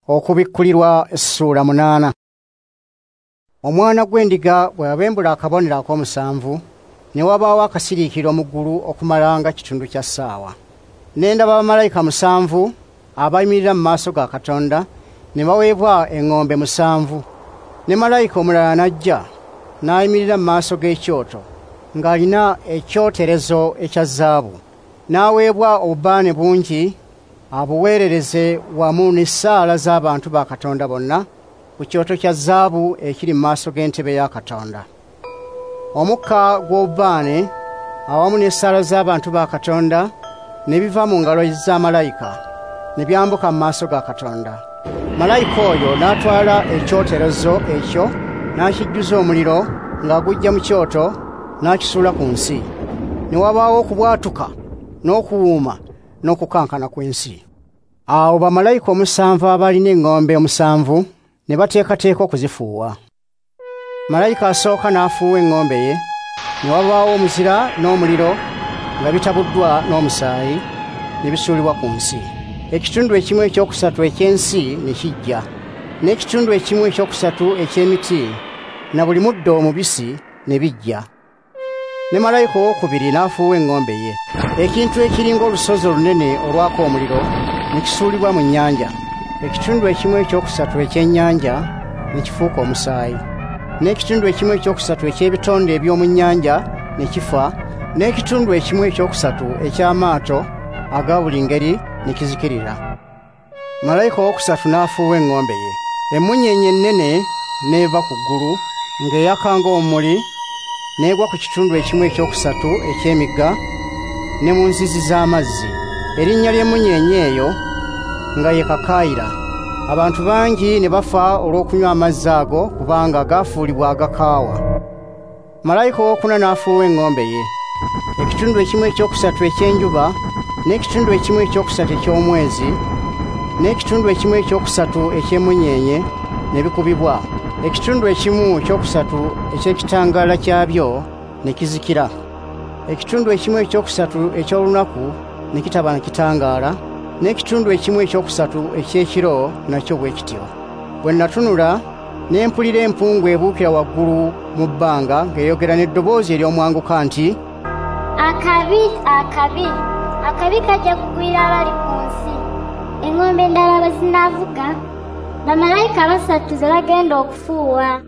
Okubikkulirwa ssuula 8. Omwana gw'endiga bwe yabembula akabonero ak'omusanvu, ne wabaawo akasiriikiriro mu ggulu okumala nga kitundu kya ssaawa. Ne ndaba bamalayika 7 abayimirira mu maaso ga Katonda, ne baweebwa eŋŋombe 7. Ne malayika omulala n'ajja, n'ayimirira mu maaso g'ekyoto, ng'alina ekyoterezo ekya zaabu. N'aweebwa obubaane bungi abuweerereze wamu n'essaala z'abantu ba Katonda bonna ku kyoto kya zaabu ekiri mu maaso g'entebe ya Katonda. Omukka gw'obubaane awamu n'essaala z'abantu ba Katonda ne biva mu ngalo za malayika ne byambuka mu maaso ga Katonda. Malayika oyo n'atwala ekyoterezo ekyo n'akijjuza omuliro ng'agujja mu kyoto n'akisuula ku nsi. Ne wabaawo okubwatuka n'okuwuuma n'okukankana kw'ensi. Awo bamalayika 7 abalina eŋŋombe 7 ne bateekateeka okuzifuuwa. Malayika asooka n'afuuwa eŋŋombe ye, ne wabaawo omuzira n'omuliro nga bitabuddwa n'omusaayi ne bisuulibwa ku nsi. Ekitundu ekimu ekyokusatu eky'ensi ne kijja, n'ekitundu ekimu ekyokusatu eky'emiti na buli muddo omubisi ne bijja. Ne malayika owookubiri n'afuuwa eŋŋombe ye. Ekintu ekiringa olusozi olunene olwaka omuliro ne kisuulibwa mu nnyanja. Ekitundu ekimu ekyokusatu eky'ennyanja ne kifuuka omusaayi, n'ekitundu ekimu ekyokusatu eky'ebitonde eby'omu nnyanja ne kifa, n'ekitundu ekimu ekyokusatu eky'amaato aga buli ngeri ne kizikirira. Malayika owokusatu n'afuuwa eŋŋombe ye. Emmunyeenye ennene n'eva ku ggulu ng'eyaka ng'omumuli, n'egwa ku kitundu ekimu ekyokusatu eky'emigga ne mu nzizi z'amazzi. Erinnya ly'emmunyeenye eyo nga ye Kakaayira. Abantu bangi ne bafa olw'okunywa amazzi ago kubanga gaafuulibwa agakaawa. Malayika owookuna n'afuuwa eŋŋombe ye. Ekitundu ekimu ekyokusatu eky'enjuba, n'ekitundu ekimu ekyokusatu eky'omwezi, n'ekitundu ekimu ekyokusatu eky'emmunyeenye ne bikubibwa. Ekitundu ekimu ekyokusatu eky'ekitangaala kyabyo ne kizikira. Ekitundu ekimu ekyokusatu eky'olunaku ne kitaba na kitangaala, n'ekitundu ekimu ekyokusatu eky'ekiro nakyo bwe kityo. Bwe natunula, ne mpulira empungu ebuukira waggulu mu bbanga ng'eyogera n'eddoboozi ery'omwanguka nti, Akabi, akabi, akabi kajja kugwira abali ku nsi. Eŋŋombe endala bwe zinaavuga, bamalayika 3 ze bagenda okufuuwa.